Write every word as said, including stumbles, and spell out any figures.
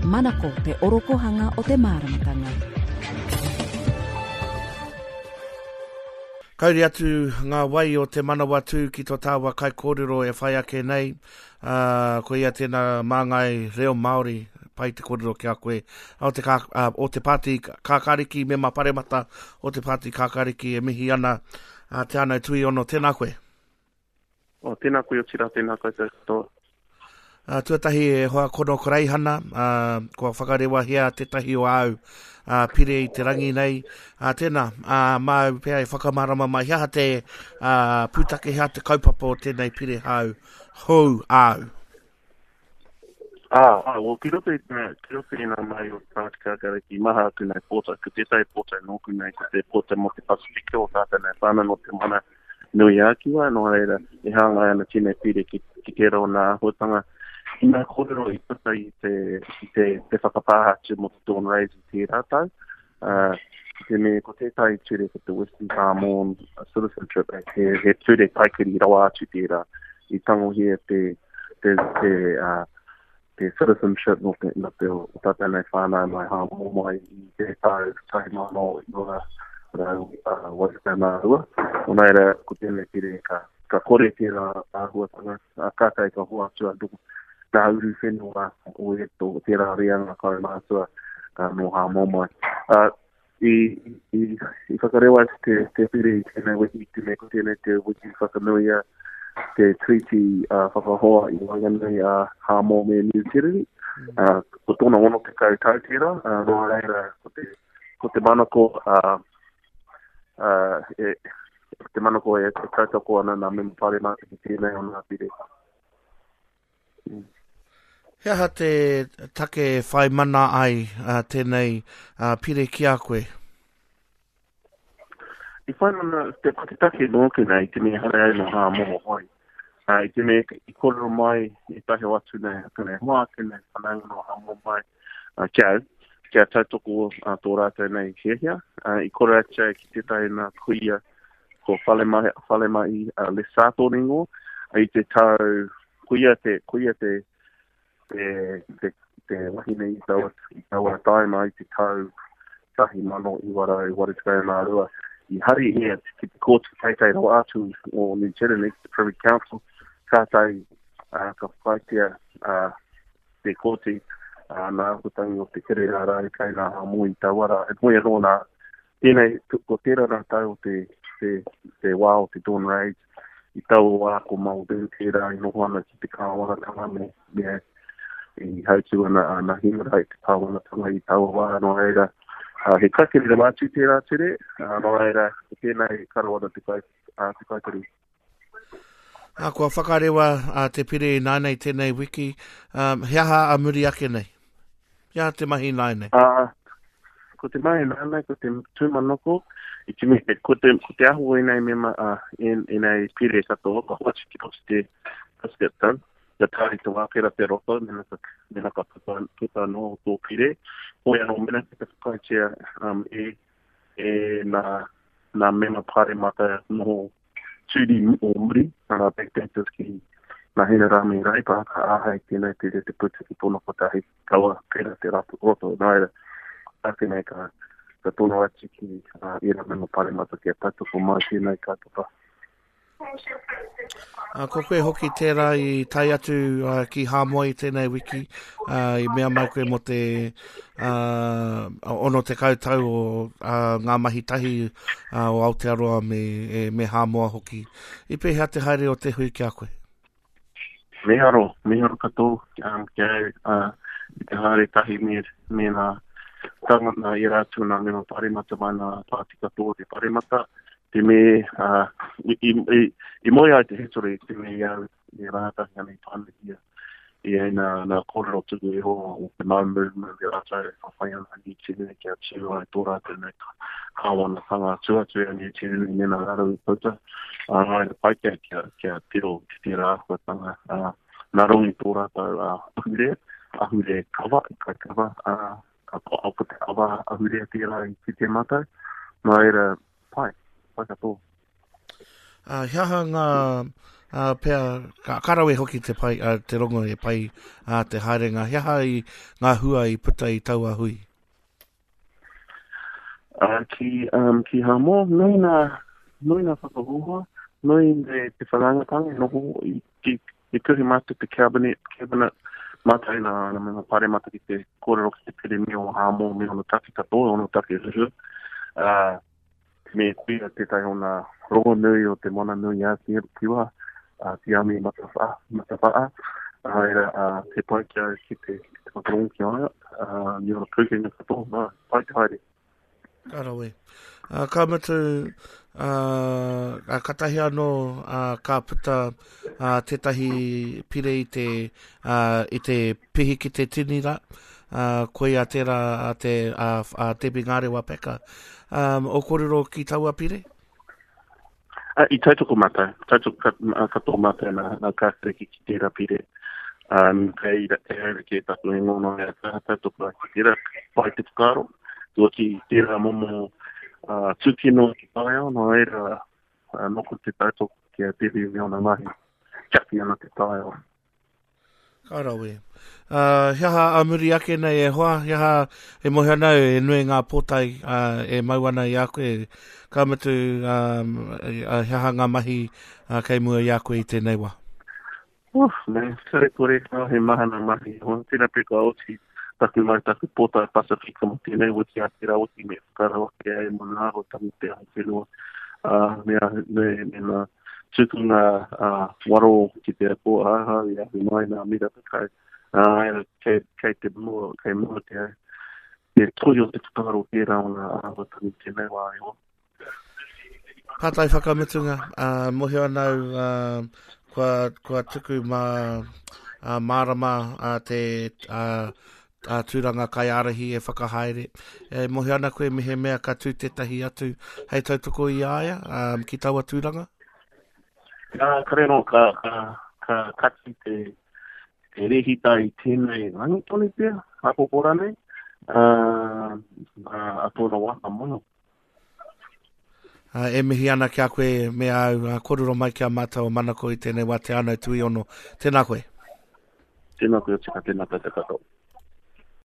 Manako te orokohanga o te māramatanga. Kauri atu ngā wai o te Manawatū ki tō tāua kaikōrero e whai ake nei. Uh, ko ia tēnā māngai reo Māori, pai te kōrero ki a koe. O te, kā, uh, o te Pāti Kākāriki, mema paremata o te Pāti Kākāriki e mihi ana uh, Te Anau Tuiono. Tēnā koe. Oh, tēnā koe o tira, tēnā koutou katoa. Uh, tuatahi e hoa kono Koreihana, uh, kua whakarewahia tētahi o āu uh, pire i te rangi nei. Uh, tēnā, uh, māu pea e whakamārama mai, he aha te uh, pūtake, he aha te kaupapa o tēnei pire hau, hou āu? Ah, ah, well, ki roto i te, ki roto i ngā mai o te Pāti Kākāriki, maha aku nei pōtae, ko tētahi pōtae nōku nei, ko te pōtae mō te Pasifika o tātou nei whānau nō te Moana Nui ā-Kiwa, nō reira, e hāngai ana tēnei pire ki, ki tērā o ngā āhuatanga. I ngā kōrero i puta i te, i te, te whakapāha atu mō te Dawn Raids i tērā tau, uh, te me ko tētahi ture ko te Western Samoan Citizenship Act, he, he ture kaikiri rawa atu tērā, i tangohia te, te, te, uh, te citizenship no te, no te o tātou nei whānau mai Hāmoa mai i te tau tahi mano iwa rau uh, waru tekau mā rua. Nō reira, ko tēnei pire ka, ka kore tērā āhuatanga, uh, kātahi ka hoatu anō ngā uru whenua o e tō tērā reanga kaumātua uh, nō Hāmoa mai. Uh, i, i, i whakarewa atu te, te pire i tēnei wiki, te mea ko tēnei te wiki whakanuia te treaty uh, whakahoa i waenganui a uh, Hāmoa me Niu Tireni. Uh, ko tōna ono tekau tau tērā, uh, nō reira ko te, ko te manako uh, uh, e, te manako e, e tautoko ana nā mema paremata ki tēnei o ngā pire. Mm. He aha te take e whai mana ai uh, tēnei uh, pire ki a koe? I whai mana te, ko te take nōku nei, te mea hare au nō Hāmoa hoi. Uh, i te mea i kōrero mai i tahi o atu nei, atu nei hoa, atu nei whanaunga nō Hāmoa mai uh, ki au, kia tautoko uh, tō rātou nei hiahia. Uh, i kōrero atu au ki tētahi nā kuia ko Whalemahi, Whalemahi uh, Lesato ringo, i te tau, kuia te, kuia te, te, te, te wahine i taua, i taua taima i te tau tahi mano iwa rau waru tekau mā rua. I hari ia ki te kōti teitei rawa atu o New Zealand, te Privy Council, kātahi uh, ka whakaaetia uh, te kōti uh, nā āhuatangi o te kere rā rā i kai nā Hāmoa i taua rā. E moe anō nā, tēnei, ko tērā rā tau o te, te, te wā o te Dawn Raids, i taua wā ko Muldoon tērā i noho ana ki te kāwanatanga me, me i hautū ana a Nahimara i te kāwanatanga i taua wā, nō reira, uh, he kaikiri rawa atu tērā ture, uh, nō reira, ko tēnei karo ana te, kai, uh, te kaikiri. Uh, kua whakarewa uh, te pire i nānei tēnei wiki, um, he aha a muri ake nei? He aha te mahi nānei? Uh, ko te mahi nānei, ko te tūmanoko, i te mea, ko te, ko te aho o ēnei mema, uh, en, ēnei pire katoa, ka hoatu ki roto te prescription, kia tae te wā pera te roto, mena ka, mena ka puta, puta anō tō pire. Hoi anō, mena ki te whakaaetia um, e, e nā, nā mema paremata noho tūri o muri, nā backdaters ki nā Hinerangi Reipa, ka āhei tēnei pire te puta ki tōna kotahi, kaua pera te roto. Nā reira, tāku nei ka, ka tono atu ki uh, ērā mema paremata kia tautoko mai tēnei kaupapa. Uh, ko koe hoki tērā i tae atu uh, ki Hāmoa i tēnei wiki, uh, i mea mai koe mō te uh, ono tekau tau o uh, ngā mahi tahi uh, o Aotearoa me, e, me Hāmoa hoki. I pēhea te haere o te hui ki a koe? Miharo, miharo katoa um, ki au uh, i te haere tahi me, me ngā tāngata i rā atu nā mema paremata mai nā pāti katoa te paremata. Te me, uh, i, i, i, i moe ai te hitori te me i au i rātahi ana i pānuhia i ai nā, nā kōrero tuku iho o te Mau Movement me rātou e whawhai ana Niu Tireni kia tū ai tō rātou nei kāwanatanga atu atu i a Niu Tireni me nā raro i puta. Uh, nā reira pai kia, kia, kia tiro ki tērā āhuatanga. Uh, nā runga i tō rātou uh, ahurea, ahurea kava, kai kava, uh, ko ko te awa ahurea tērā i kite mātou. Nā reira, pai, pai katoa. Uh, he aha ngā uh, pea, ka, ka rawe hoki te, pai, uh, te rongo e pai uh, te haerenga. He aha i ngā hua i puta i taua hui? Uh, ki, um, ki Hamoa, nui nā, nui nā whakahoha, nui te, te whanaungatanga e noho i, ki, i kuhi mātou te cabinet, cabinet mātou nā, nā mema paremata ki te kōrero ki te pere me o Hamoa, me ono take katoa, ono take huhua. Uh, me kuia tētahi o nā rongonui o te Moana Nui a Kiwa, uh, Tiami Matawhaa, Matawhaa. Uh, era, uh, te pai ki au ki te, ki te whakarongo ki a ia, uh, ni ora pūkenga katoa, nā, pai te haere. Ka rawe. Uh, ka mutu, uh, katahi anō uh, ka puta uh, tētahi pire i te, uh, i te pihi ki te tini rā, uh, koia tērā a te a, a Debbie Ngarewa Packer. Um, o kōrero ki taua pire? Uh, I tautoko mātou, tautoko katoa mātou nā, nā kākariki ki tērā pire. Um, kei, kei haere ke taku ingoa nō ea kaha tautoko ai ki tērā, pai te whakaaro. Tua ki tērā momo uh, tūkino ki taiao, nō reira uh, nōku te tautoko ki a Debbie me ona mahi. Tiaki ana te taiao. Ka rawe. Uh, he aha a muri ake nei e hoa, he aha e mohi ana au e nui ngā pōtae uh, e mau ana i a koe. Ka mutu, um, uh, he aha ngā mahi uh, kei mua i a koe i tēnei wā? Uf, me, kare kore, oh, he maha ngā mahi. Hoa, tēnā pea ka oti taku mai taku pōtae Pasifika mo tēnei wiki a tērā wiki me whakarau ake ai mo ngā āhuatanga te ao whenua. Uh, me, me, me ngā tukunga uh, waro ki te apo aha i ahu mai nā miraka kai. Uh, kei, kei te mua, kei mua te, te toi o te whakaaro tērā o ngā āhuatanga tēnei wā e hoa. Pātai whakamutunga, uh, mohio ana au uh, kua, kua tuku mā uh, mārama uh, te uh, a tūranga kaiārahi e whakahaere. E mohio ana koe mehemea ka tū tētahi atu hei tautoko i a ia um, ki taua tūranga? Ka, kare no, ka, ka, ka kati te, te rehita i tēnei rangi tonu pea, āpōpō rānei, uh, a tōna wā ka mono. Uh, e mihi ana ki a koe me au, uh, kōrero mai ki a mātou o Manako i tēnei wā te Anau Tuiono. Tēnā koe. Tēnā koe, tika, tēnā tātou katoa.